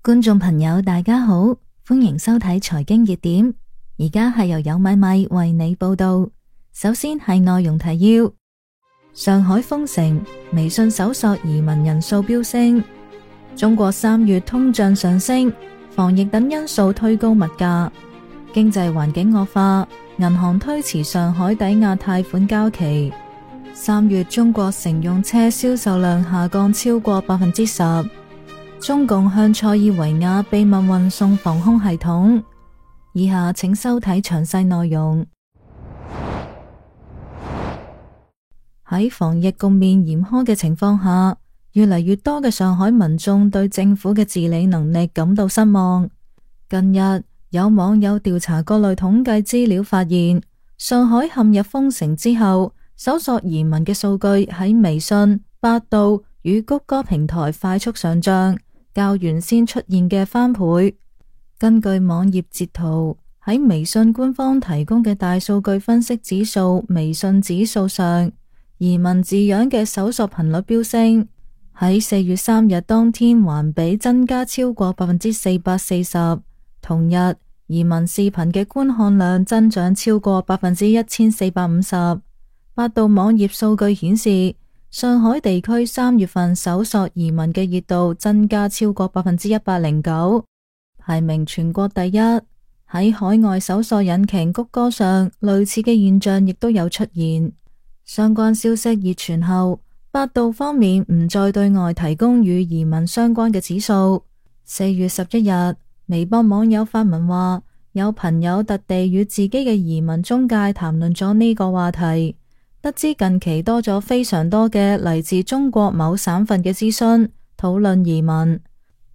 觀眾朋友大家好，歡迎收睇財經熱點。而家係由有米米為你報道。首先係內容提要：上海封城，微信搜索移民人數飆升；中國3月通脹上升，防疫等因素推高物價；經濟環境惡化，銀行推遲上海抵押貸款交期；3月中國乘用車銷售量下降超過10%。中共向塞爾維亞秘密運送防空系統。以下請收睇詳細內容。喺防疫局面嚴苛嘅情況下，越嚟越多嘅上海民眾對政府嘅治理能力感到失望。近日有網友調查各類統計資料，發現上海陷入封城之後，搜索移民嘅數據喺微信、百度與谷歌平台快速上漲，較原先出現嘅翻倍。根據網頁截圖，喺微信官方提供嘅大數據分析指數微信指數上，移民字樣嘅搜索頻率飆升，喺4月3日當天環比增加超過440%。同日，移民視頻嘅觀看量增長超過1450%。百度網頁數據顯示，上海地區3月份搜索移民嘅熱度增加超過109%，排名全國第一。喺海外搜索引擎谷歌上，類似嘅現象亦都有出現。相關消息熱傳後，百度方面唔再對外提供與移民相關嘅指數。4月11日，微博網友發文話，有朋友特地與自己嘅移民中介談論咗呢個話題。得知近期多咗非常多嘅嚟自中國某省份嘅諮詢討論移民，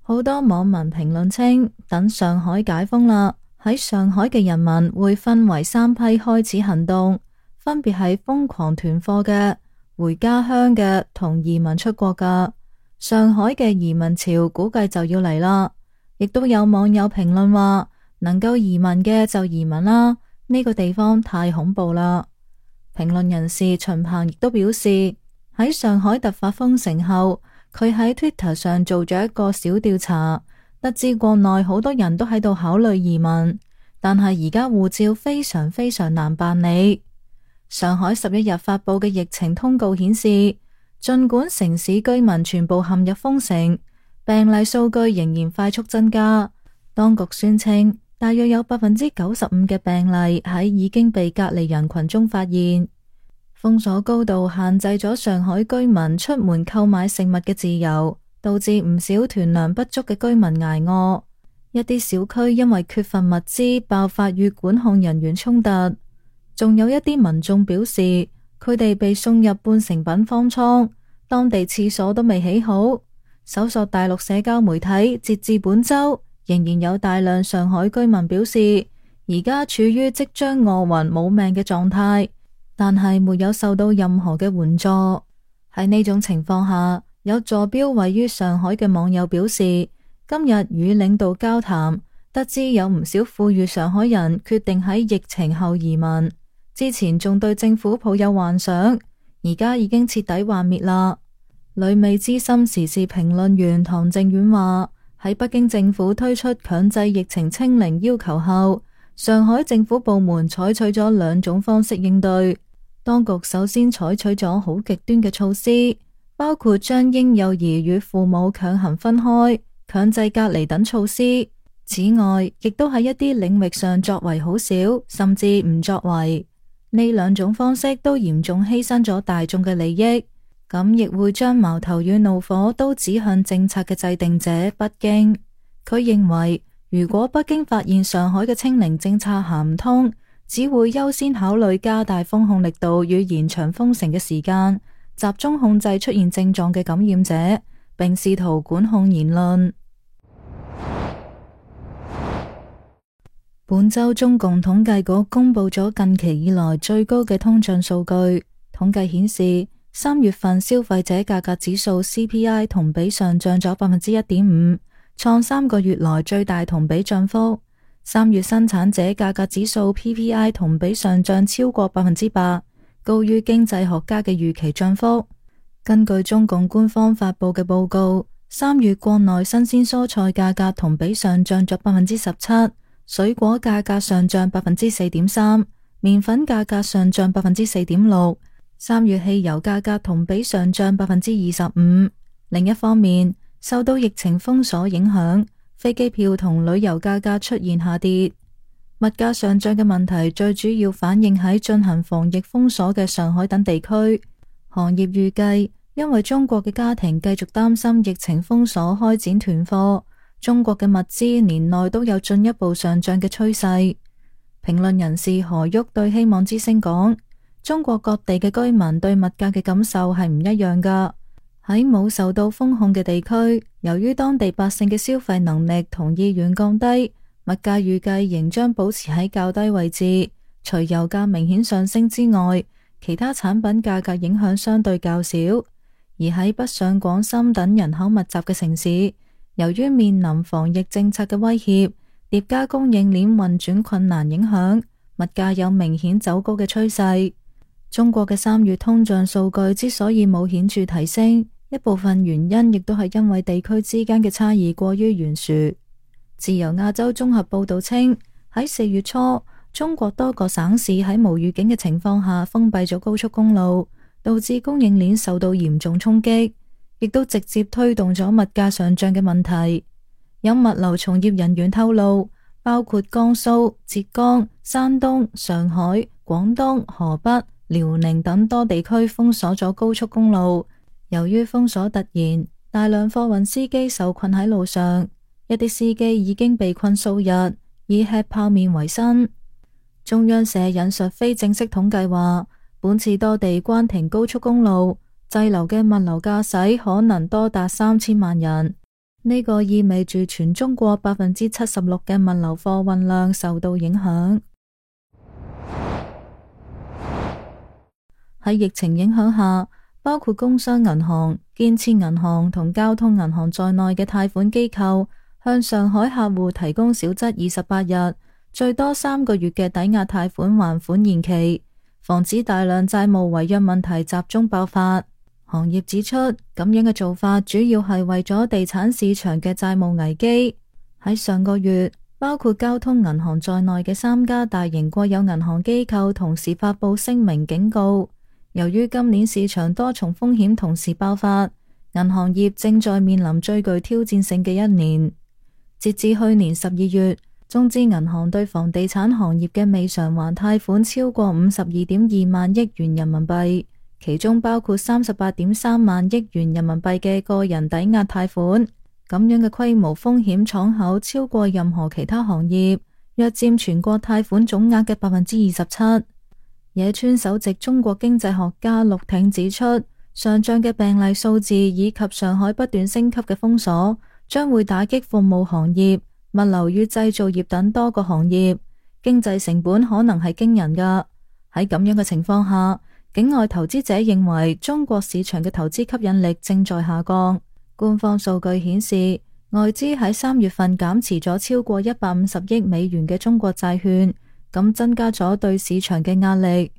好多網民評論稱，等上海解封啦，喺上海嘅人民會分為3批開始行動，分別係瘋狂囤貨嘅、回家鄉嘅同移民出國嘅。上海嘅移民潮估計就要嚟啦。亦都有網友評論話，能夠移民嘅就移民啦，呢個地方太恐怖啦。評論人士秦鵬亦都表示，喺上海突發封城後，佢喺 Twitter 上做咗一個小調查，得知國內好多人都喺度考慮移民，但係而家護照非常難辦理。上海11日發佈嘅疫情通告顯示，儘管城市居民全部陷入封城，病例數據仍然快速增加。當局宣稱，大約有95%嘅病例喺已經被隔離人群中發現。封鎖高度限制咗上海居民出門購買食物嘅自由，導致唔少囤糧不足嘅居民捱餓。一啲小區因為缺乏物資爆發與管控人員衝突，仲有一啲民眾表示，佢哋被送入半成品方艙，當地廁所都未起好。搜索大陸社交媒體，截至本周，仍然有大量上海居民表示，而家處於即將餓暈冇命嘅狀態，但係沒有受到任何嘅援助。喺呢種情況下，有坐標位於上海嘅網友表示，今日與領導交談，得知有唔少富裕上海人決定喺疫情後移民，之前仲對政府抱有幻想，而家已經徹底幻滅啦。旅美資深時事評論員唐靖遠話，喺北京政府推出強制疫情清零要求後，上海政府部門採取咗2種方式應對。當局首先採取咗好極端嘅措施，包括將嬰幼兒與父母強行分開、強制隔離等措施。此外，亦都喺一啲領域上作為好少，甚至唔作為。呢2種方式都嚴重犧牲咗大眾嘅利益，咁亦會將矛頭與怒火都指向政策嘅制定者北京。佢認為，如果北京發現上海嘅清零政策行唔通，只會優先考慮加大封控力度與延長封城嘅時間，集中控制出現症狀嘅感染者，並試圖管控言論。本周中共統計局公布咗近期以來最高嘅通脹數據，統計顯示3月份消費者價格指數 CPI 同比上漲咗1.5%，創3個月來最大同比漲幅。3月生產者價格指數 PPI 同比上漲超過8%，高於經濟學家嘅預期漲幅。根據中共官方發佈嘅報告3月國內新鮮蔬菜價格同比上漲咗17%，水果價格上漲4.3%，麵粉價格上漲4.6%。3月汽油價格同比上漲25%。另一方面，受到疫情封鎖影響，飛機票同旅遊價格出現下跌。物價上漲嘅問題最主要反映喺進行防疫封鎖嘅上海等地區。行業預計，因為中國嘅家庭繼續擔心疫情封鎖開展囤貨，中國嘅物資年內都有進一步上漲嘅趨勢。評論人士何旭對希望之聲講：中國各地嘅居民對物價嘅感受係唔一樣噶。喺冇受到封控嘅地區，由於當地百姓嘅消費能力同意願降低，物價預計仍將保持喺較低位置。除油價明顯上升之外，其他產品價格影響相對較少。而喺北上廣深等人口密集嘅城市，由於面臨防疫政策嘅威脅，疊加供應鏈運轉困難影響，物價有明顯走高嘅趨勢。中國嘅3月通脹數據之所以冇顯著提升，一部分原因亦都係因為地區之間嘅差異過於懸殊。自由亞洲綜合報道稱，喺4月初，中國多個省市喺無預警嘅情況下封閉咗高速公路，導致供應鏈受到嚴重衝擊，亦都直接推動咗物價上漲嘅問題。有物流從業人員透露，包括江蘇、浙江、山東、上海、廣東、河北、遼寧等多地區封鎖咗高速公路。由於封鎖突然，大量貨運司機受困喺路上，一啲司機已經被困數日，以吃泡麵為生。中央社引述非正式統計話，本次多地關停高速公路，滯留嘅物流駕駛可能多達3000萬人。呢個意味住全中國76%嘅物流貨運量受到影響。喺疫情影響下，包括工商銀行、建設銀行同交通銀行在內嘅貸款機構向上海客戶提供少則28日，最多3個月嘅抵押貸款還款延期，防止大量債務違約問題集中爆發。行業指出，咁樣嘅做法主要係為咗地產市場嘅債務危機。喺上個月，包括交通銀行在內嘅3家大型國有銀行機構同時發佈聲明警告，由於今年市場多重風險同時爆發，銀行業正在面臨最具挑戰性嘅一年。截至去年12月，中資銀行對房地產行業嘅未償還貸款超過52.2萬億元人民幣，其中包括38.3萬億元人民幣嘅個人抵押貸款。咁樣嘅規模風險敞口超過任何其他行業，約佔全國貸款總額嘅27%。野村首席中國經濟學家陸挺指出，上漲嘅病例數字以及上海不斷升級嘅封鎖，將會打擊服務行業、物流與製造業等多個行業，經濟成本可能係驚人㗎。喺咁樣嘅情況下，境外投資者認為中國市場嘅投資吸引力正在下降。官方數據顯示，外資喺3月份減持咗超過150億美元嘅中國債券，咁增加咗對市場嘅壓力。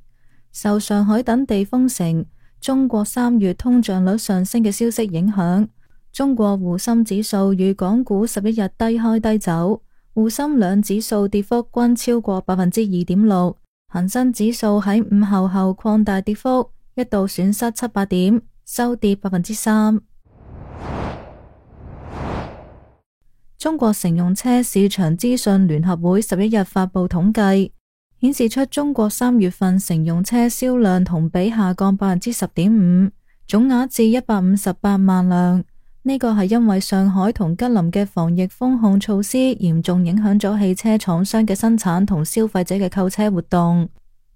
受上海等地封城、中國3月通脹率上升嘅消息影響，中國滬深指數與港股11日低開低走，滬深兩指數跌幅均超過2.6%。恒生指數喺午後後擴大跌幅，一度損失700點，收跌3%。中國乘用車市場資訊聯合會11日發布統計，顯示出中國3月份乘用車銷量同比下降10.5%，總額至158萬輛。呢個係因為上海同吉林嘅防疫封控措施嚴重影響咗汽車廠商嘅生產同消費者嘅購車活動。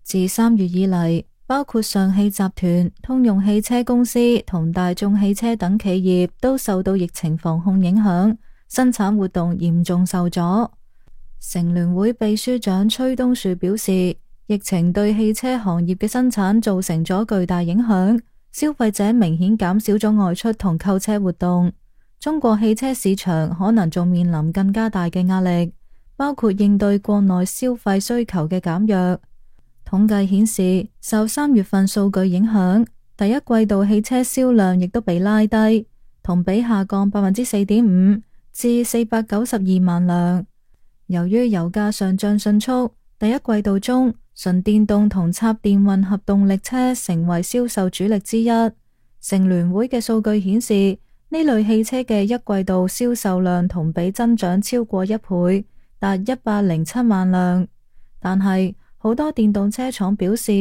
自3月以嚟，包括上汽集團、通用汽車公司同大眾汽車等企業都受到疫情防控影響，生產活動嚴重受阻。乘聯會秘書長崔東樹表示，疫情對汽車行業嘅生產造成咗巨大影響，消費者明顯減少咗外出同購車活動。中國汽車市場可能仲面臨更加大嘅壓力，包括應對國內消費需求嘅減弱。統計顯示，受3月份數據影響，第一季度汽車銷量亦都被拉低。同比下降4.5%至492萬輛。由於油價上漲迅速，第一季度中純電動同插電混合動力車成為銷售主力之一。乘聯會嘅數據顯示，呢類汽車嘅一季度銷售量同比增長超過1倍，達107萬輛。但係好多電動車廠表示，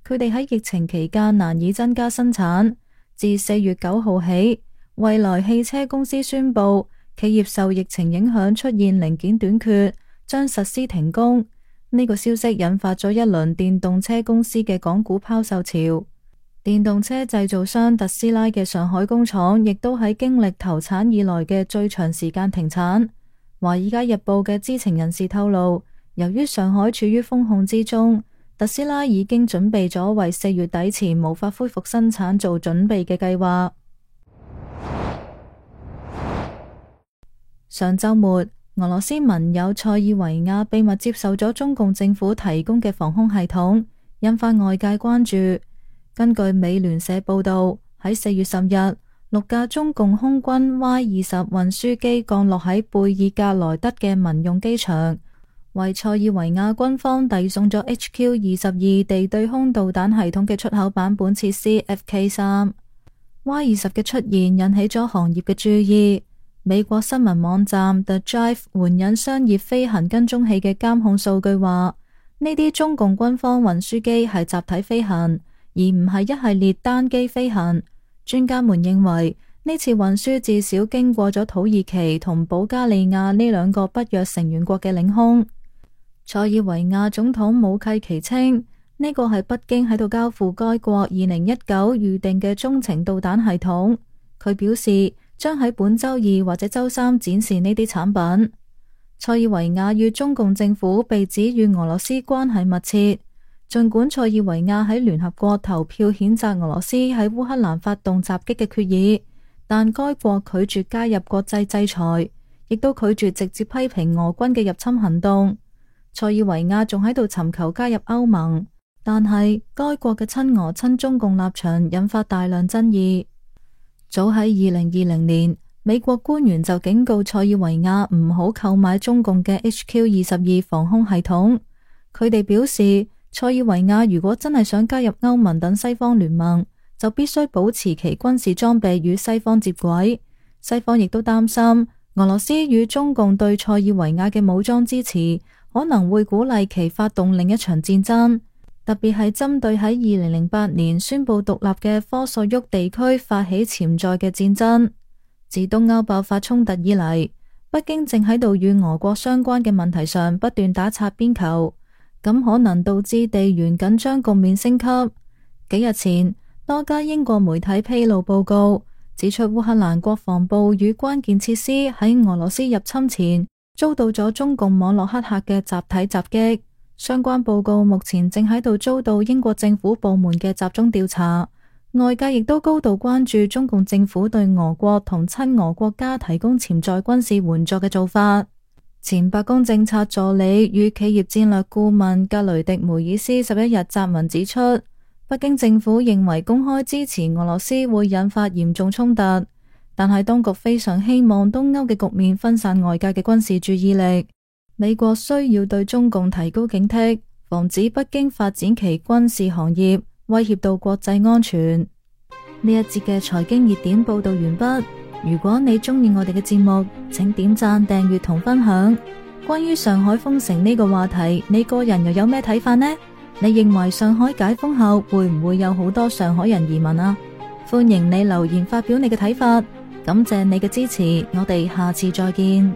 佢哋喺疫情期間難以增加生產。自4月9號起，蔚來汽車公司宣布，企業受疫情影響出現零件短缺，將實施停工。呢個消息引發咗一輪電動車公司嘅港股拋售潮。電動車製造商特斯拉嘅上海工廠亦都喺經歷投產以來嘅最長時間停產。華爾街日報嘅知情人士透露，由於上海處於封控之中，特斯拉已經準備咗為4月底前無法恢復生產做準備嘅計劃。上週末，俄羅斯盟友塞爾維亞秘密接受咗中共政府提供嘅防空系統，引發外界關注。根據美聯社報道，喺4月10日，6架中共空軍 Y-20 運輸機降落喺貝爾格萊德嘅民用機場，為塞爾維亞軍方遞送咗 HQ-22地對空導彈系統嘅出口版本設施 FK3。Y-20 嘅出現引起咗行業嘅注意。美國新聞網站 The Drive 援引商業飛行跟蹤器嘅監控數據話，呢啲中共軍方運輸機係集體飛行，而唔係一系列單機飛行。專家們認為，呢次運輸至少經過咗土耳其同保加利亞呢兩個北約成員國嘅領空。塞爾維亞總統武契奇稱，呢個係北京喺度交付該國2019預定嘅中程導彈系統。佢表示，將喺本周二或者周三展示呢啲產品。塞爾維亞與中共政府被指與俄羅斯關係密切。儘管塞爾維亞喺聯合國投票譴責俄羅斯喺烏克蘭發動襲擊嘅決議，但該國拒絕加入國際制裁，亦都拒絕直接批評俄軍嘅入侵行動。塞爾維亞仲喺度尋求加入歐盟，但係該國嘅親俄親中共立場引發大量爭議。早喺2020年，美國官員就警告塞爾維亞唔好購買中共嘅 HQ-22防空系統。佢哋表示，塞爾維亞如果真係想加入歐盟等西方聯盟，就必須保持其軍事裝備與西方接軌。西方亦都擔心俄羅斯與中共對塞爾維亞嘅武裝支持，可能會鼓勵其發動另一場戰爭，特別係針對喺2008年宣布獨立嘅科索沃地區發起潛在嘅戰爭。自東歐爆發衝突以嚟，北京正喺度與俄國相關嘅問題上不斷打擦邊球。咁可能導致地緣緊張局面升級。幾日前，多家英國媒體披露報告，指出烏克蘭國防部與關鍵設施喺俄羅斯入侵前遭到咗中共網絡黑客嘅集體襲擊。相關報告目前正喺度遭到英國政府部門嘅集中調查。外界亦都高度關注中共政府對俄國同親俄國家提供潛在軍事援助嘅做法。前白宮政策助理與企業戰略顧問格雷迪梅爾斯11日撰文指出，北京政府認為公開支持俄羅斯會引發嚴重衝突，但係當局非常希望東歐嘅局面分散外界嘅軍事注意力。美國需要對中共提高警惕，防止北京發展其軍事行業，威脅到國際安全。呢一節嘅財經熱點報道完畢。如果你中意我哋嘅節目，請點讚、訂閱同分享。關於上海封城呢個話題，你個人又有咩睇法呢？你認為上海解封後會唔會有好多上海人移民啊？歡迎你留言發表你嘅睇法。感謝你嘅支持，我哋下次再見。